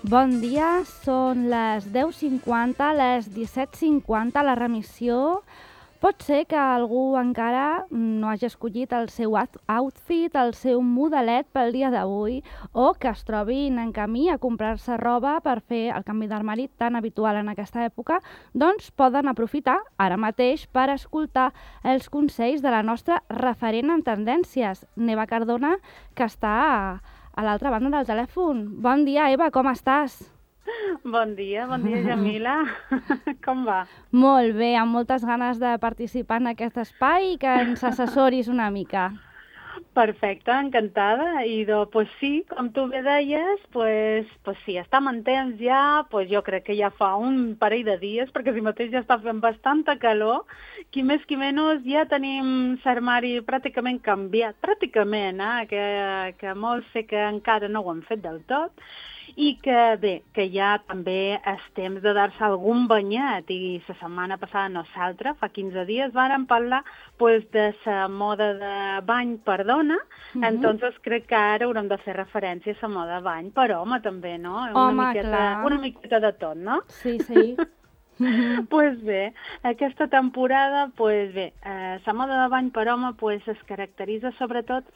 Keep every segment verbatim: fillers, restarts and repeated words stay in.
Bon dia, són les deu cinquanta, les disset cinquanta, la remissió. Pot ser que algú encara no hagi escollit el seu outfit, el seu modelet pel dia d'avui, o que es trobin en camí a comprar-se roba per fer el canvi d'armari tan habitual en aquesta època, doncs poden aprofitar ara mateix per escoltar els consells de la nostra referent en tendències, Neva Cardona, que està a, a l'altra banda del telèfon. Bon dia, Eva, com estàs? Bon dia, bon dia, Jamila. Com va? Molt bé, amb moltes ganes de participar en aquest espai i que ens assessoris una mica. Perfecte, encantada. I doncs, pues sí, com tu bé deies, pues, pues sí, estem en temps ja, pues jo crec que ja fa un parell de dies, perquè si mateix ja està fent bastanta calor, qui més qui menys ja tenim l'armari pràcticament canviat, pràcticament, eh? que, que molts sé que encara no ho han fet del tot, i que bé, que ja també és temps de dar-se algun banyet, i la setmana passada nosaltres, fa quinze dies, vàrem parlar pues, de la moda de bany per dona, uh-huh. Entonces crec que ara haurem de fer referència a la moda de bany per home també, no? Una Home, miqueta, clar. Una miqueta de tot, no? Sí, sí. Doncs pues bé, aquesta temporada, pues bé, eh, la moda de bany per home pues, es caracteritza sobretot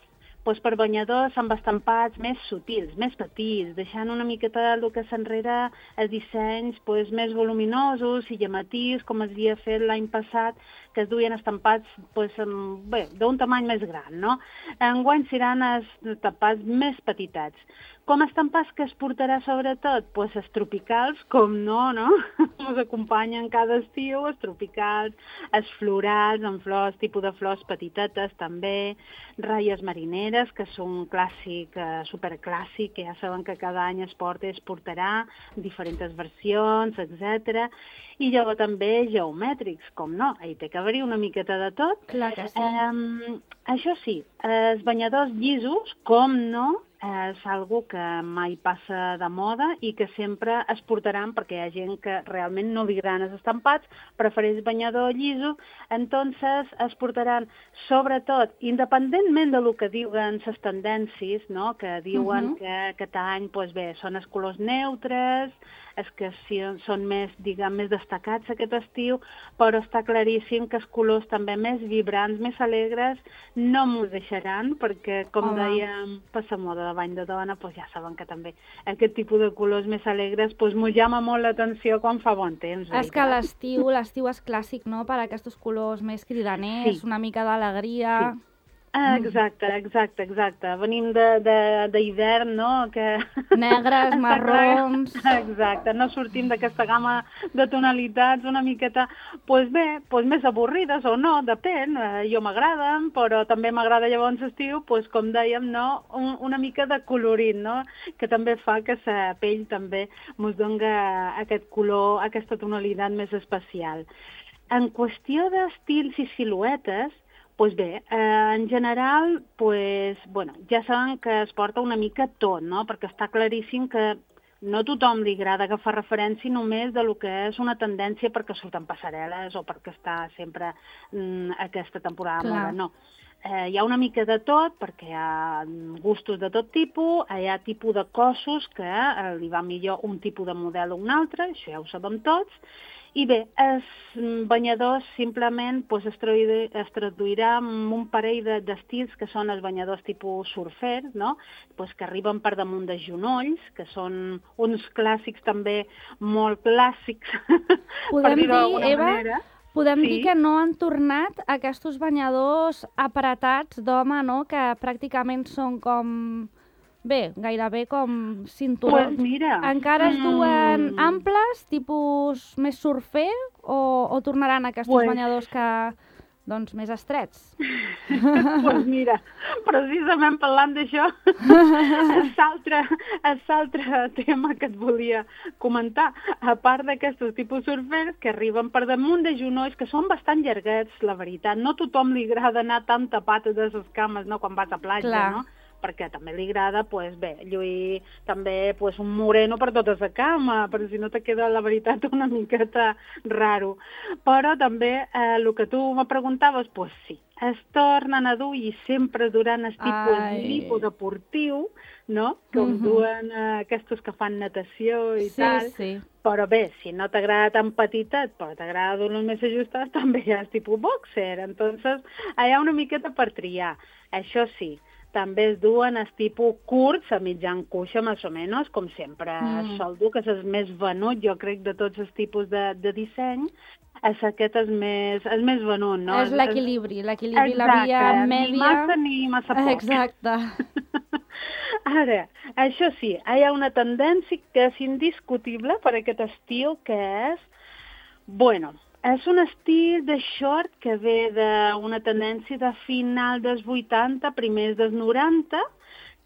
pues, per banyadors amb estampats més sutils, més petits, deixant una miqueta del que s'enrere els dissenys pues, més voluminosos i llamatius, com es havia fet l'any passat, que es duien estampats pues, amb, bé, d'un tamany més gran, no? Enguany seran estampats més petitets. Com estampats que es portarà sobretot? Pues els tropicals, com no, no? Ens acompanyen cada estiu, els tropicals, els florals, amb flors, tipus de flors petitetes també, ratlles marineres, que són un clàssic, eh, superclàssic, que ja saben que cada any es porta i es portarà, diferents versions, etcètera. I llavors també geomètrics, com no, hi té que haver-hi una miqueta de tot. Clar que sí. Eh, això sí, els banyadors llisos, com no, és algo que mai passa de moda i que sempre es portaran perquè hi ha gent que realment no li agraden els estampats, prefereix banyador lliso, entonces es portaran sobretot, independentment del que diuen les tendències, no? Que diuen uh-huh. que aquest any pues bé, són els colors neutres, és que sí, són més, diguem, més destacats aquest estiu, però està claríssim que els colors també més vibrants, més alegres, no m'ho deixaran, perquè, com Home. dèiem, per la moda de bany de dona, pues ja saben que també aquest tipus de colors més alegres pues, m'ho llama molt l'atenció quan fa bon temps. És que l'estiu, l'estiu és clàssic, no?, per aquests colors més cridaners, sí. Una mica d'alegria... Sí. Exacte, exacte, exacte. Venim d'hivern, no? Que... Negres, marrons... Exacte, no sortim d'aquesta gamma de tonalitats una miqueta, doncs bé, doncs més avorrides o no, depèn. Jo m'agraden, però també m'agrada llavors estiu, doncs com dèiem, no? Una mica de colorit, no? Que també fa que la pell també ens doni aquest color, aquesta tonalitat més especial. En qüestió d'estils i siluetes, doncs bé, eh, en general, pues, bueno, ja saben que es porta una mica tot, no? Perquè està claríssim que no a tothom li agrada agafar referència només de lo que és una tendència perquè surten passarel·les o perquè està sempre mm, aquesta temporada de moda, no. Eh, hi ha una mica de tot, perquè hi ha gustos de tot tipus, hi ha tipus de cossos que eh, li va millor un tipus de model o un altre, això ja ho sabem tots, i bé, els banyadors simplement pues, es, traduirà, es traduirà en un parell d'estils que són els banyadors tipus surfer, no? Pues, que arriben per damunt de genolls, que són uns clàssics també molt clàssics, Podem per dir-ho d'alguna Eva, manera. Podem sí. dir que no han tornat aquests banyadors apretats d'home, no?, que pràcticament són com... Bé, gairebé com cinturons. Pues mira. Encara es duen mm. amples, tipus més surfer, o, o tornaran aquests pues... banyadors que, doncs, més estrets? Doncs pues mira, precisament parlant d'això, és l'altre tema que et volia comentar. A part d'aquests tipus surfers que arriben per damunt de genolls, que són bastant llarguets, la veritat. No a tothom li agrada anar tan tapat de les cames, no?, quan vas a platja, Clar. no? perquè també li agrada, pues, bé, lluir també pues, un moreno per tota la cama, però si no te queda, la veritat, una miqueta raro. Però també eh, el que tu me preguntaves, pues sí, es tornen a dur i sempre durant el tipus lipodeportiu, no? Com Mhm. duen eh, aquests que fan natació i Sí, tal. sí. Però bé, si no t'agrada tan petitet, però t'agrada dur-los més ajustats, també hi ha el tipus boxer. Entonces, hi ha una miqueta per triar. Això sí, també es duen els tipus curts, a mitjan cuixa, més o menys, com sempre Mm. sol dur, que és el més venut, jo crec, de tots els tipus de, de disseny. És aquest és més, és més venut, no? És l'equilibri, l'equilibri, la via Exacte, mèdia. ni massa ni massa poc. Exacte. Ara, això sí, hi ha una tendència que és indiscutible per aquest estil, que és, bueno, és un estil de short que ve d'una tendència de final dels vuitanta, primers dels noranta,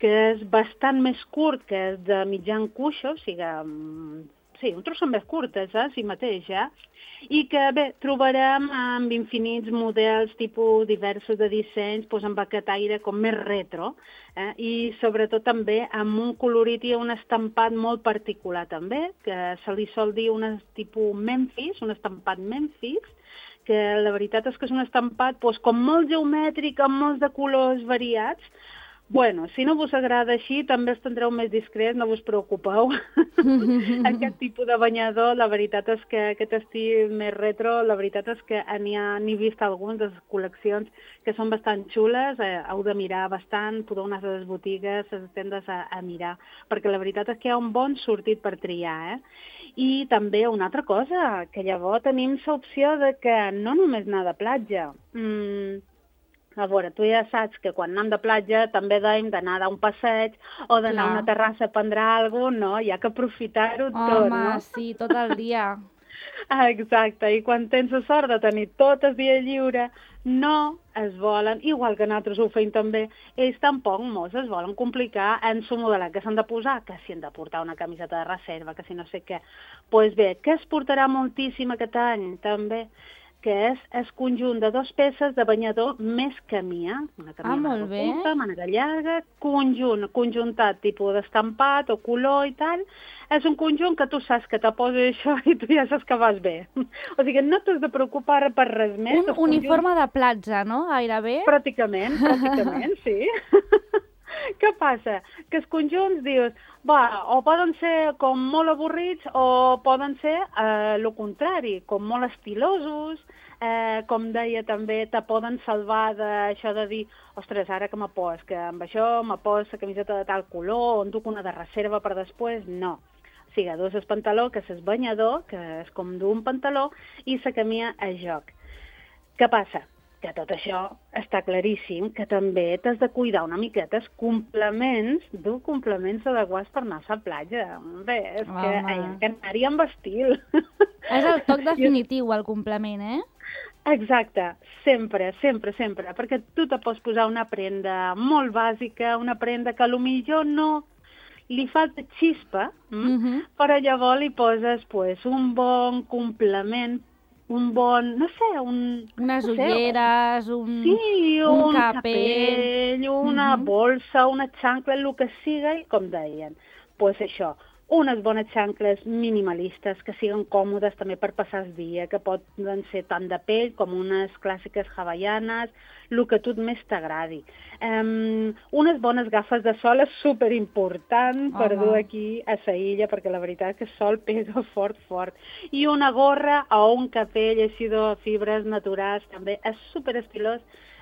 que és bastant més curt, que és de mitjan cuixo, o sigui, mm, sí, un trosset més curt, és, eh, si mateix, eh? I que, bé, trobarem amb infinits models, tipus diversos de dissenys, doncs amb aquest aire com més retro, eh? I sobretot també amb un colorit i un estampat molt particular també, que se li sol dir un tipus Memphis, un estampat Memphis, que la veritat és que és un estampat doncs, com molt geomètric, amb molts de colors variats. Bueno, si no vos agrada així, també els tindreu més discrets, no vos preocupeu. Aquest tipus de banyador, la veritat és que aquest estil més retro, la veritat és que n'hi ha, n'he vist alguns de les col·leccions que són bastant xules, eh, heu de mirar bastant, podeu anar a les botigues, a les tendes a, a mirar, perquè la veritat és que hi ha un bon sortit per triar, eh? I també una altra cosa, que llavors tenim l'opció de que no només anar de platja. Mm, A veure, tu ja saps que quan anem de platja també dèiem d'anar a dar un passeig o d'anar a una terrassa a prendre alguna cosa, no? Hi ha que aprofitar-ho tot, no? Home, sí, tot el dia. Ah, exacte, i quan tens la sort de tenir tot el dia lliure, no es volen, igual que nosaltres ho feim també, ells tampoc mos es volen complicar en su modelat que s'han de posar, que si han de portar una camiseta de reserva, que si no sé què. Doncs pues bé, què es portarà moltíssim aquest any també? Que és el conjunt de dos peces de banyador més camia. Una camia Ah, molt bé. curta, màniga llarga, conjunt, conjuntat, tipus d'estampat o color i tal. És un conjunt que tu saps que te posa això i tu ja saps que vas bé. O sigui, no t'has de preocupar per res més. Un uniforme de platja, no? Gairebé. Pràcticament, pràcticament, sí. Què passa? Que els conjunts dius, va, o poden ser com molt avorrits o poden ser eh, el contrari, com molt estilosos, eh, com deia també, te poden salvar d'això de dir, ostres, ara que me pos, que amb això me pos la camiseta de tal color, o en duc una de reserva per després, no. O sigui, dus el pantaló, que és el banyador, que és com dur un pantaló, i la camia a joc. Què passa? Que tot això està claríssim, que també t'has de cuidar una miqueta els complements, dur complements adequats per anar a la platja. Bé, és que hi ha que anar-hi amb estil. És el toc definitiu, el complement, eh? Exacte, sempre, sempre, sempre, perquè tu te pots posar una prenda molt bàsica, una prenda que potser no li falta xispa, mm? uh-huh. Però llavors li poses pues, un bon complement, un bon, no sé, un... Unes no ulleres, sé, un, sí, un, un capell, capell, una uh-huh. bolsa, una xancla, el que siga, i com deien, pues això, unes bones xancles minimalistes que siguin còmodes també per passar el dia, que poden ser tant de pell com unes clàssiques hawaianes, el que a tu més t'agradi. Um, unes bones gafes de sol és superimportant per Home. dur aquí a la illa, perquè la veritat és que el sol pega fort, fort. I una gorra o un capell així de fibres naturals també és superestilós,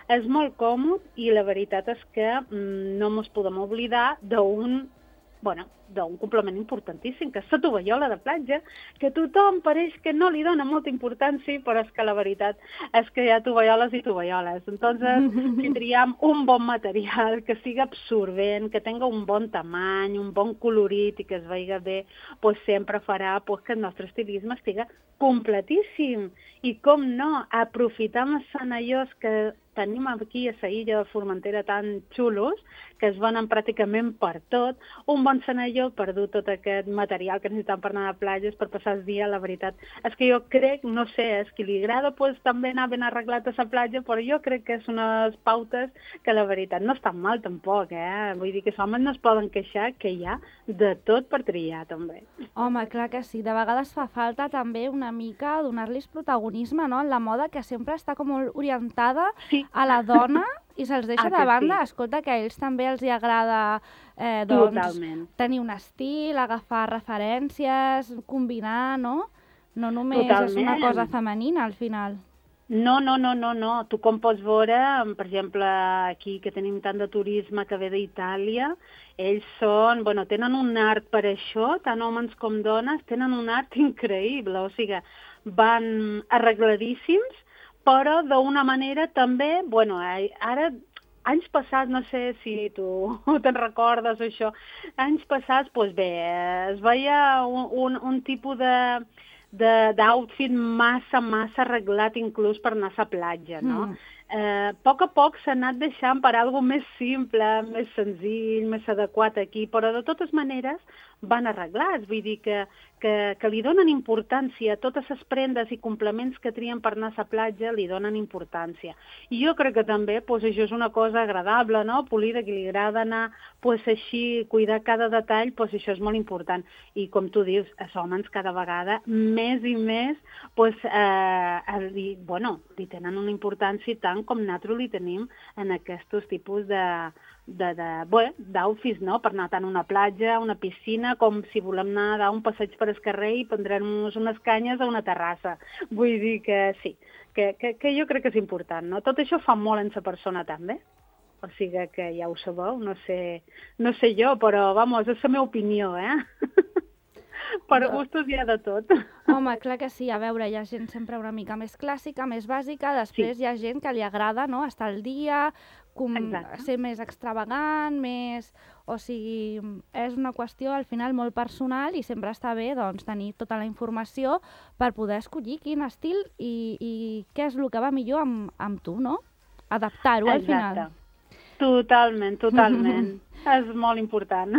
és molt còmode i la veritat és que mm, no ens podem oblidar d'un bueno, d'un complement importantíssim, que és la tovallola de platja, que tothom pareix que no li dona molta importància, però és que la veritat és que hi ha tovalloles i tovalloles. Entonces, si triem un bon material, que sigui absorbent, que tenga un bon tamany, un bon colorit i que es veiga bé, pues sempre farà pues, que el nostre estilisme estigui completíssim. I com no, aprofitar els senallors que tenim aquí a la illa de Formentera tan xulos que es venen pràcticament per tot. Un bon senalló per dur tot aquest material que necessitem per anar a platges, per passar el dia, la veritat. És que jo crec, no sé, és que li agrada pues, també anar ben arreglat a la platja, però jo crec que és unes pautes que la veritat no estan mal tampoc, eh? Vull dir que els homes no es poden queixar que hi ha de tot per triar, també. Home, clar que sí. De vegades fa falta també una mica donar-los protagonisme, no?, en la moda, que sempre està com molt orientada Sí. a la dona i se'ls deixa Ah, de que banda. sí. Escolta, que a ells també els hi agrada eh, doncs, Totalment. tenir un estil, agafar referències, combinar, no? No només és una Totalment. cosa femenina, al final. No, no, no, no, no. Tu com pots veure, per exemple, aquí que tenim tant de turisme que ve d'Itàlia, ells són, bueno, tenen un art per això, tant homes com dones, tenen un art increïble, o sigui, van arregladíssims, però d'una manera també, bueno, ara, anys passats, no sé si tu te'n recordes o això, anys passats, doncs bé, es veia un, un, un tipus de d'outfit massa, massa arreglat inclús per anar a la platja, no? Mm. Eh, a poc a poc s'ha anat deixant per alguna més simple, més senzill, més adequat aquí, però de totes maneres van arreglats, vull dir que, que, que li donen importància, totes les prendes i complements que trien per anar a la platja li donen importància. I jo crec que també pues, això és una cosa agradable, no? Polida, que li agrada anar pues, així, cuidar cada detall, pues, això és molt important. I com tu dius, els homes cada vegada més i més pues, eh, li, bueno, li tenen una importància tant com nosaltres li tenim en aquests tipus de de, de, bé, d'outfits, no? Per anar tant a una platja, a una piscina, com si volem anar a dar un passeig per el carrer i prendrem-nos unes canyes a una terrassa. Vull dir que sí, que, que, que jo crec que és important, no? Tot això fa molt en la persona també. O sigui que ja ho sabeu, no sé, no sé jo, però, vamos, és la meva opinió, eh? Per gustos hi ha de tot. Home, clar que sí. A veure, hi ha gent sempre una mica més clàssica, més bàsica, després sí. Hi ha gent que li agrada, no?, estar al dia, com ser més extravagant, més... O sigui, és una qüestió al final molt personal i sempre està bé doncs, tenir tota la informació per poder escollir quin estil i, i què és el que va millor amb, amb tu, no? Adaptar-ho al final. Totalment, totalment. És molt important.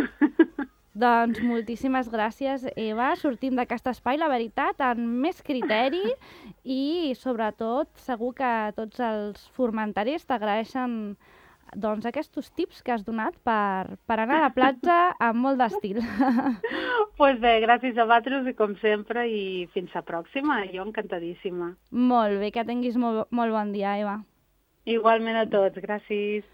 Doncs moltíssimes gràcies, Eva. Sortim d'aquest espai, la veritat, amb més criteri i, sobretot, segur que tots els formentaris t'agraeixen doncs, aquests tips que has donat per, per anar a la platja amb molt d'estil. Doncs pues bé, gràcies a vosaltres i com sempre i fins a pròxima. Jo encantadíssima. Molt bé, que tinguis molt, molt bon dia, Eva. Igualment a tots, gràcies.